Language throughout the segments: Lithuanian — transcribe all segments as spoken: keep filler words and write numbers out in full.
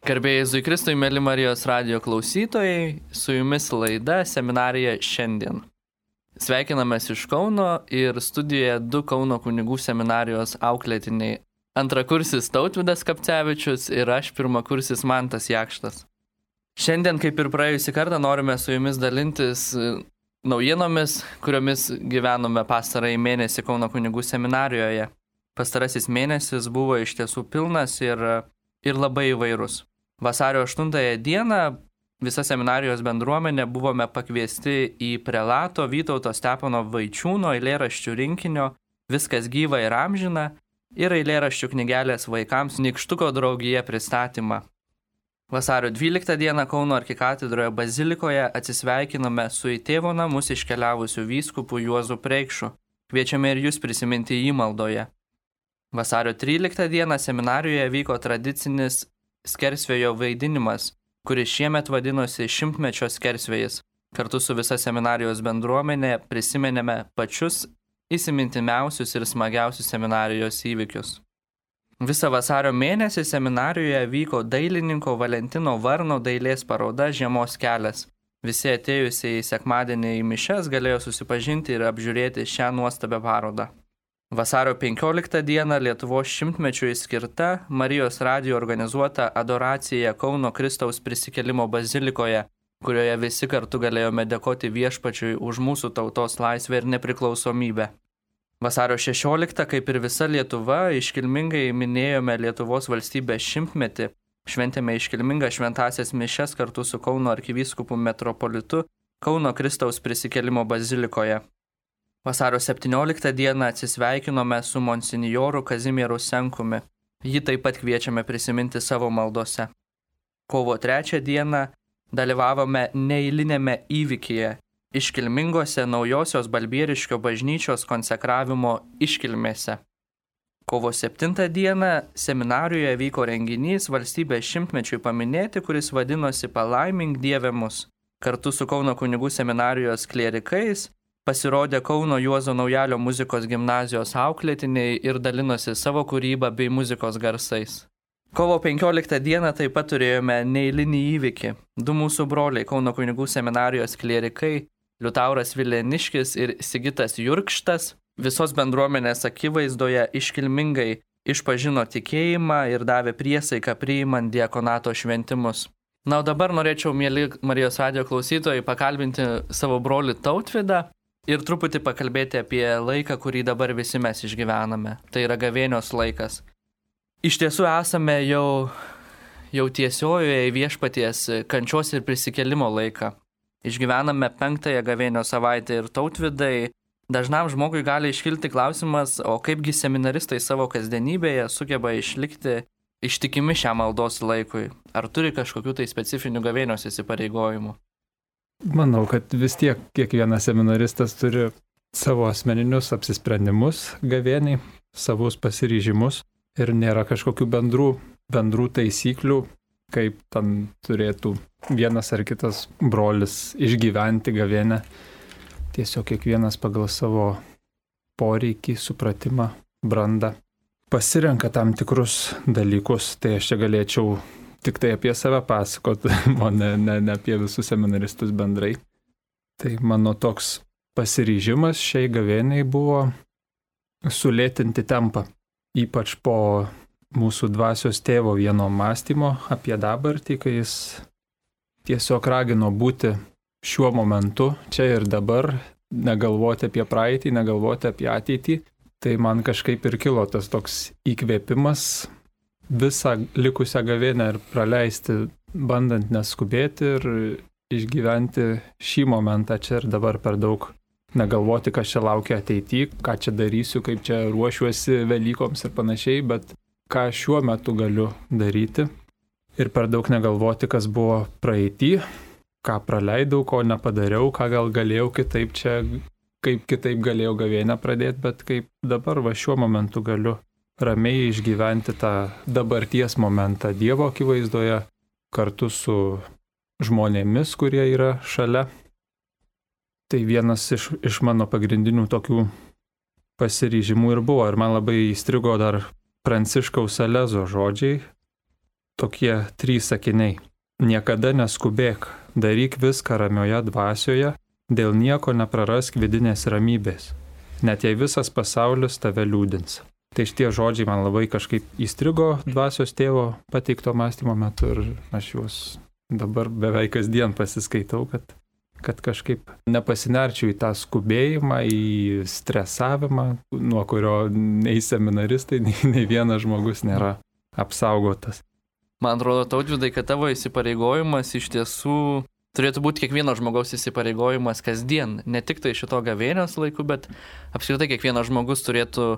Garbėjai Jėzui Kristui, mėly Marijos radijo klausytojai, su jumis laida Seminarija šiandien. Sveikinamės iš Kauno ir studijoje du Kauno kunigų seminarijos auklėtiniai. Antrakursis Tautvydas Kapcevičius ir aš pirmakursis Mantas Jakštas. Šiandien, kaip ir praėjusį kartą, norime su jumis dalintis naujienomis, kuriomis gyvenome pastarąjį mėnesį Kauno kunigų seminarijoje. Pastarasis mėnesis buvo iš tiesų pilnas ir, ir labai įvairus. Vasario aštuntąją dieną visa seminarijos bendruomenė buvome pakviesti į prelato Vytauto Stepono Vaičiūno eilėraščių rinkinio Viskas gyva ir amžina ir eilėraščių knygelės vaikams Nykštuko draugija pristatymą. Vasario dvyliktą dieną Kauno arkikatedroje bazilikoje atsisveikinome su į tėvo namus iškeliavusiu vyskupu Juozu Preikšu. Kviečiame ir jūs prisiminti jį maldoje. Vasario tryliktą dieną seminarijoje vyko tradicinis skersvėjo vaidinimas, kuris šiemet vadinosi šimtmečio skersvėjis. Kartu su visa seminarijos bendruomenė prisimenėme pačius įsimintimiausius ir smagiausius seminarijos įvykius. Visą vasario mėnesį seminarijoje vyko dailininko Valentino Varno dailės paroda Žiemos kelias. Visi atėjusiai sekmadienį į mišias galėjo susipažinti ir apžiūrėti šią nuostabią parodą. Vasario penkioliktą dieną Lietuvos šimtmečiui skirta Marijos radijo organizuota adoracija Kauno Kristaus prisikėlimo bazilikoje, kurioje visi kartu galėjome dėkoti viešpačiui už mūsų tautos laisvę ir nepriklausomybę. Vasario šešioliktą, kaip ir visa Lietuva, iškilmingai minėjome Lietuvos valstybės šimtmetį, šventėme iškilmingą šventąsias mišias kartu su Kauno arkivyskupu metropolitu Kauno Kristaus prisikėlimo bazilikoje. Vasario septynioliktą dieną atsisveikinome su monsinjoru Kazimieru Senkumi. Jį taip pat kviečiame prisiminti savo maldose. Kovo trečią dieną dalyvavome neeilinėme įvykyje, iškilmingose naujosios Balbieriškio bažnyčios konsekravimo iškilmėse. Kovo septintą dieną seminarijoje vyko renginys valstybės šimtmečiui paminėti, kuris vadinosi Palaimink Dieve mus. Kartu su Kauno kunigų seminarijos klierikais pasirodė Kauno Juozo Naujalio muzikos gimnazijos auklėtiniai ir dalinosi savo kūrybą bei muzikos garsais. Kovo penkioliktą dieną taip pat turėjome neeilinį įvykį. Du mūsų broliai Kauno kunigų seminarijos klierikai, Liutauras Vileniškis ir Sigitas Jurkštas, visos bendruomenės akivaizdoje iškilmingai išpažino tikėjimą ir davė priesaiką priimant diakonato šventimus. Na, o dabar norėčiau, mieli Marijos radijo klausytojai, pakalbinti savo brolį Tautvydą ir truputį pakalbėti apie laiką, kurį dabar visi mes išgyvename. Tai yra gavėnios laikas. Iš tiesų esame jau, jau tiesiojoje viešpaties kančios ir prisikėlimo laiką. Išgyvename penktąją gavėnios savaitę ir Tautvydai. Dažnam žmogui gali iškilti klausimas, o kaipgi seminaristai savo kasdienybėje sugeba išlikti ištikimi šiam maldos laikui. Ar turi kažkokių tai specifinių gavėnios įsipareigojimų? Manau, kad vis tiek kiekvienas seminaristas turi savo asmeninius apsisprendimus gavėniai, savus pasiryžimus ir nėra kažkokių bendrų, bendrų taisyklių, kaip ten turėtų vienas ar kitas brolis išgyventi gavėnę. Tiesiog kiekvienas pagal savo poreikį, supratimą, brandą pasirenka tam tikrus dalykus. Tai aš čia galėčiau tik tai apie save pasakot, o ne, ne, ne apie visus seminaristus bendrai. Tai mano toks pasiryžimas šiai gavėniai buvo sulėtinti tempą, ypač po mūsų dvasios tėvo vieno mąstymo apie dabartį, kai jis tiesiog ragino būti šiuo momentu, čia ir dabar, negalvoti apie praeitį, negalvoti apie ateitį. Tai man kažkaip ir kilo tas toks įkvėpimas visą likusią gavėnę ir praleisti, bandant neskubėti ir išgyventi šį momentą čia ir dabar per daug. Negalvoti, kas čia laukia ateityje, ką čia darysiu, kaip čia ruošiuosi Velykoms ir panašiai, bet ką šiuo metu galiu daryti. Ir per daug negalvoti, kas buvo praeity, ką praleidau, ko nepadariau, ką gal galėjau kitaip čia, kaip kitaip galėjau gavėnę pradėti, bet kaip dabar va šiuo momentu galiu ramiai išgyventi tą dabarties momentą Dievo akivaizdoje kartu su žmonėmis, kurie yra šalia. Tai vienas iš, iš mano pagrindinių tokių pasiryžimų ir buvo. Ir man labai įstrigo dar Pranciškaus Salezo žodžiai, tokie trys sakiniai. Niekada neskubėk, daryk viską ramioje dvasioje, dėl nieko neprarask vidinės ramybės, net jei visas pasaulis tave liūdins. Tai šitie žodžiai man labai kažkaip įstrigo dvasios tėvo pateikto mąstymo metu ir aš juos dabar beveik kasdien pasiskaitau, kad, kad kažkaip nepasinerčiau į tą skubėjimą, į stresavimą, nuo kurio nei seminaristai, nei, nei vienas žmogus nėra apsaugotas. Man atrodo, Tautvydai, kad tavo įsipareigojimas iš tiesų turėtų būti kiekvieno žmogaus įsipareigojimas kasdien, ne tik tai šito gavėnios laiku, bet apskritai kiekvienas žmogus turėtų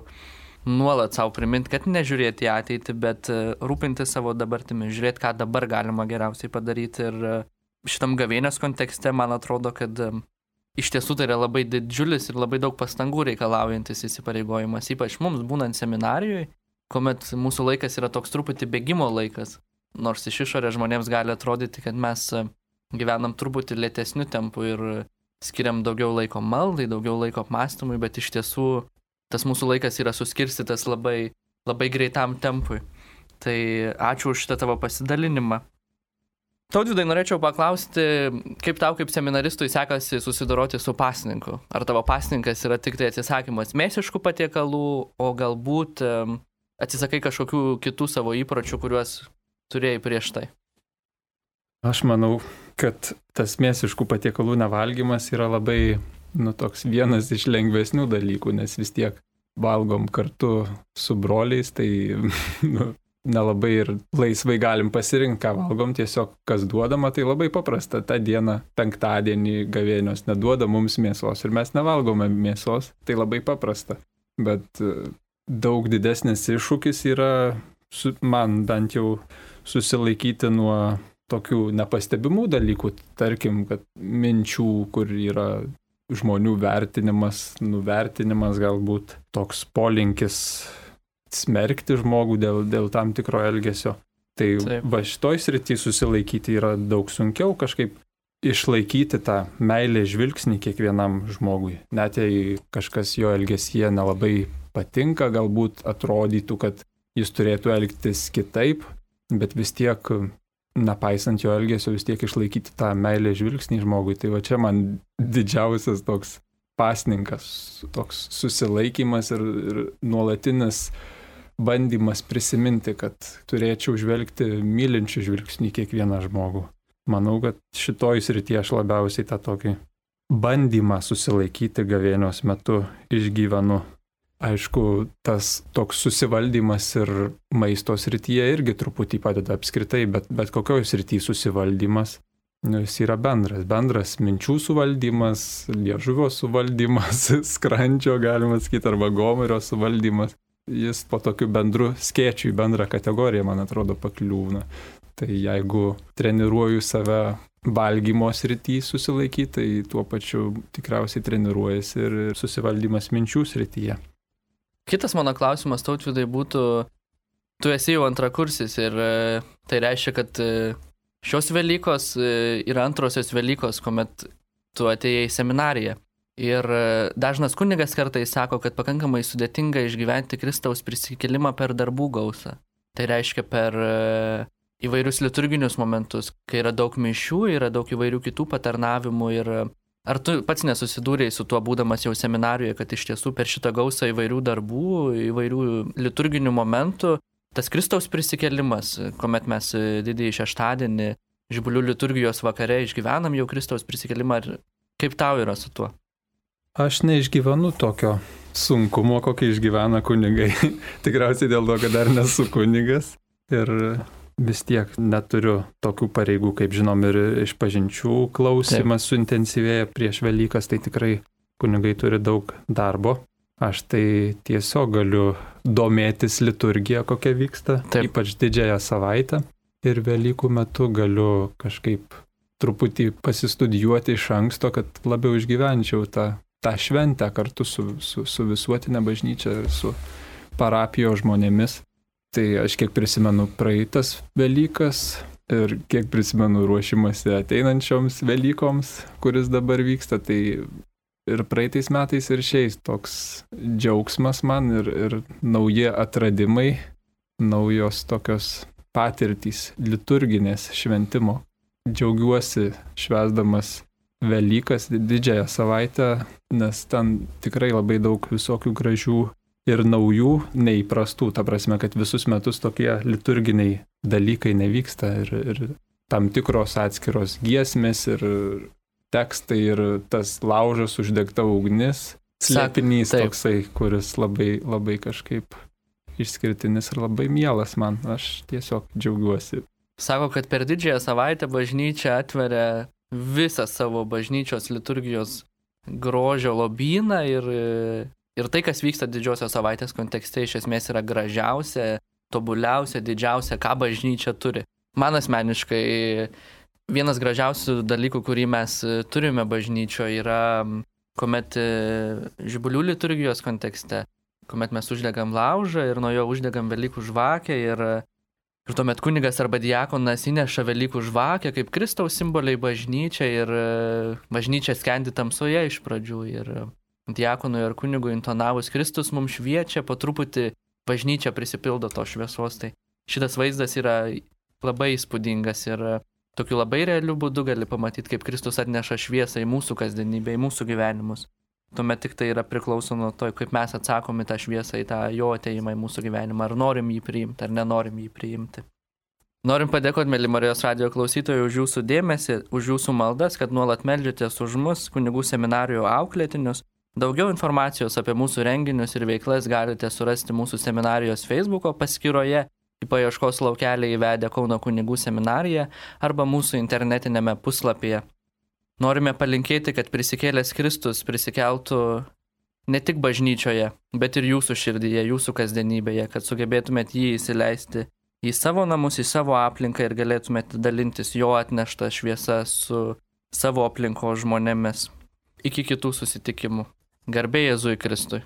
nuolat savo priminti, kad nežiūrėti į ateitį, bet rūpinti savo dabartimi, žiūrėti, ką dabar galima geriausiai padaryti. Ir šitam gavėnios kontekste man atrodo, kad iš tiesų tai yra labai didžiulis ir labai daug pastangų reikalaujantis įsipareigojimas, ypač mums būnant seminarijoje, kuomet mūsų laikas yra toks truputį bėgimo laikas, nors iš išorės žmonėms gali atrodyti, kad mes gyvenam truputį lėtesniu tempu ir skiriam daugiau laiko maldai, daugiau laiko apmąstymui, bet iš tiesų tas mūsų laikas yra suskirstytas labai, labai greitam tempui. Tai ačiū už šitą tavo pasidalinimą. Tautvydai, norėčiau paklausti, kaip tau kaip seminaristui sekasi susidoroti su pasninku? Ar tavo pasninkas yra tik tai atsisakymas mėsiškų patiekalų, o galbūt atsisakai kažkokių kitų savo įpročių, kuriuos turėjai prieš tai? Aš manau, kad tas mėsiškų patiekalų nevalgymas yra labai, nu, toks vienas iš lengvesnių dalykų, nes vis tiek valgom kartu su broliais, tai nu, nelabai ir laisvai galim pasirinkti, ką valgom, tiesiog kas duodama, tai labai paprasta. Ta diena, penktadienį gavėnios neduoda mums mėsos ir mes nevalgome mėsos, tai labai paprasta. Bet daug didesnis iššūkis yra, man bent jau, susilaikyti nuo tokių nepastebimų dalykų, tarkim, kad minčių, kur yra žmonių vertinimas, nuvertinimas, galbūt toks polinkis smerkti žmogų dėl, dėl tam tikro elgesio. Tai Taip. Va šitoj srity susilaikyti yra daug sunkiau, kažkaip išlaikyti tą meilę žvilgsnį kiekvienam žmogui. Net jei kažkas jo elgesyje nelabai patinka, galbūt atrodytų, kad jis turėtų elgtis kitaip, bet vis tiek, nepaisant jo elgesio, vis tiek išlaikyti tą meilę žvilgsnį žmogui. Tai va čia man didžiausias toks pasninkas, toks susilaikymas ir, ir nuolatinis bandymas prisiminti, kad turėčiau žvelgti mylinčių žvilgsnį kiekvieną žmogų. Manau, kad šitoj srityje aš labiausiai tą tokį bandymą susilaikyti gavėnios metu išgyvenu. Aišku, tas toks susivaldymas ir maisto srityje irgi truputį padeda apskritai, bet, bet kokioj srityje susivaldymas, nu, jis yra bendras. Bendras minčių suvaldymas, liežuvio suvaldymas, skrandžio, galima sakyti, arba gomurio suvaldymas. Jis po tokiu bendru skėčiu į bendrą kategoriją, man atrodo, pakliūna. Tai jeigu treniruoju save valgymo srityje susilaikyti, tai tuo pačiu tikriausiai treniruojasi ir susivaldymas minčių srityje. Kitas mano klausimas, Tautvydai, būtų, tu esi jau antrakursis ir tai reiškia, kad šios Velykos yra antrosios Velykos, kuomet tu atėjai į seminariją. Ir dažnas kunigas kartais sako, kad pakankamai sudėtinga išgyventi Kristaus prisikėlimą per darbų gausą. Tai reiškia per įvairius liturginius momentus, kai yra daug mišių, yra daug įvairių kitų patarnavimų. Ir ar tu pats nesusidūrėjai su tuo būdamas jau seminarijoje, kad iš tiesų per šitą gausą įvairių darbų, įvairių liturginių momentų, tas Kristaus prisikėlimas, kuomet mes didįjį šeštadienį Žibulių liturgijos vakare išgyvenam jau Kristaus prisikėlimą, kaip tau yra su tuo? Aš neišgyvenu tokio sunkumo, kokį išgyvena kunigai. Tikriausiai dėl to, kad dar nesu kunigas ir vis tiek neturiu tokių pareigų, kaip žinom, ir išpažinčių klausimas Taip. Suintensyvėja prieš Velykas, tai tikrai kunigai turi daug darbo. Aš tai tiesiog galiu domėtis liturgiją, kokia vyksta, Taip. Ypač didžiąją savaitę. Ir Velykų metu galiu kažkaip truputį pasistudijuoti iš anksto, kad labiau išgyvenčiau tą tą šventę kartu su, su, su visuotinė bažnyčia ir su parapijos žmonėmis. Tai aš kiek prisimenu praeitas Velykas ir kiek prisimenu ruošimasi ateinančioms Velykoms, kuris dabar vyksta, tai ir praeitais metais ir šiais toks džiaugsmas man ir, ir nauji atradimai, naujos tokios patirtys liturginės šventimo. Džiaugiuosi švęsdamas Velykas, didžiąją savaitę, nes ten tikrai labai daug visokių gražių ir naujų, neįprastų, ta prasme, kad visus metus tokie liturginiai dalykai nevyksta ir, ir tam tikros atskiros giesmės ir tekstai ir tas laužas uždegta ugnis, slėpinys toksai, kuris labai, labai kažkaip išskirtinis ir labai mielas man, aš tiesiog džiaugiuosi. Sako, kad per didžiąją savaitę bažnyčia atveria visą savo bažnyčios liturgijos grožio lobyną ir, ir tai, kas vyksta didžiosios savaitės kontekste, iš esmės yra gražiausia, tobuliausia, didžiausia, ką bažnyčia turi. Man asmeniškai vienas gražiausių dalykų, kurį mes turime bažnyčioje, yra kuomet žibulių liturgijos kontekste, kuomet mes uždegam laužą ir nuo jo uždegam Velykų žvakę ir Ir tuomet kunigas arba diakonas įneša Velykų žvakę kaip Kristaus simboliai bažnyčia ir bažnyčia skendi tamsoje iš pradžių. Ir diakonui ar kunigui intonavus Kristus mums šviečia, po truputį bažnyčia prisipildo to šviesos. Tai šitas vaizdas yra labai įspūdingas ir tokiu labai realiu būdu gali pamatyti, kaip Kristus atneša šviesą į mūsų kasdienybę, į mūsų gyvenimus. Tuomet tik tai yra priklauso nuo to, kaip mes atsakom į tą šviesą, į tą jo ateimą į mūsų gyvenimą, ar norim jį priimti, ar nenorim jį priimti. Norim padėkoti, mėly Marijos radijo klausytojai, už jūsų dėmesį, už jūsų maldas, kad nuolat meldžiatės už mus, kunigų seminarijų auklėtinius. Daugiau informacijos apie mūsų renginius ir veiklas galite surasti mūsų seminarijos Facebooko paskyroje, į paieškos laukelį įvedę Kauno kunigų seminariją arba mūsų internetinėme puslapyje. Norime palinkėti, kad prisikėlęs Kristus prisikeltų ne tik bažnyčioje, bet ir jūsų širdyje, jūsų kasdienybėje, kad sugebėtumėt jį įsileisti į savo namus, į savo aplinką ir galėtumėt dalintis jo atneštą šviesą su savo aplinkos žmonėmis. Iki kitų susitikimų. Garbė Jėzui Kristui.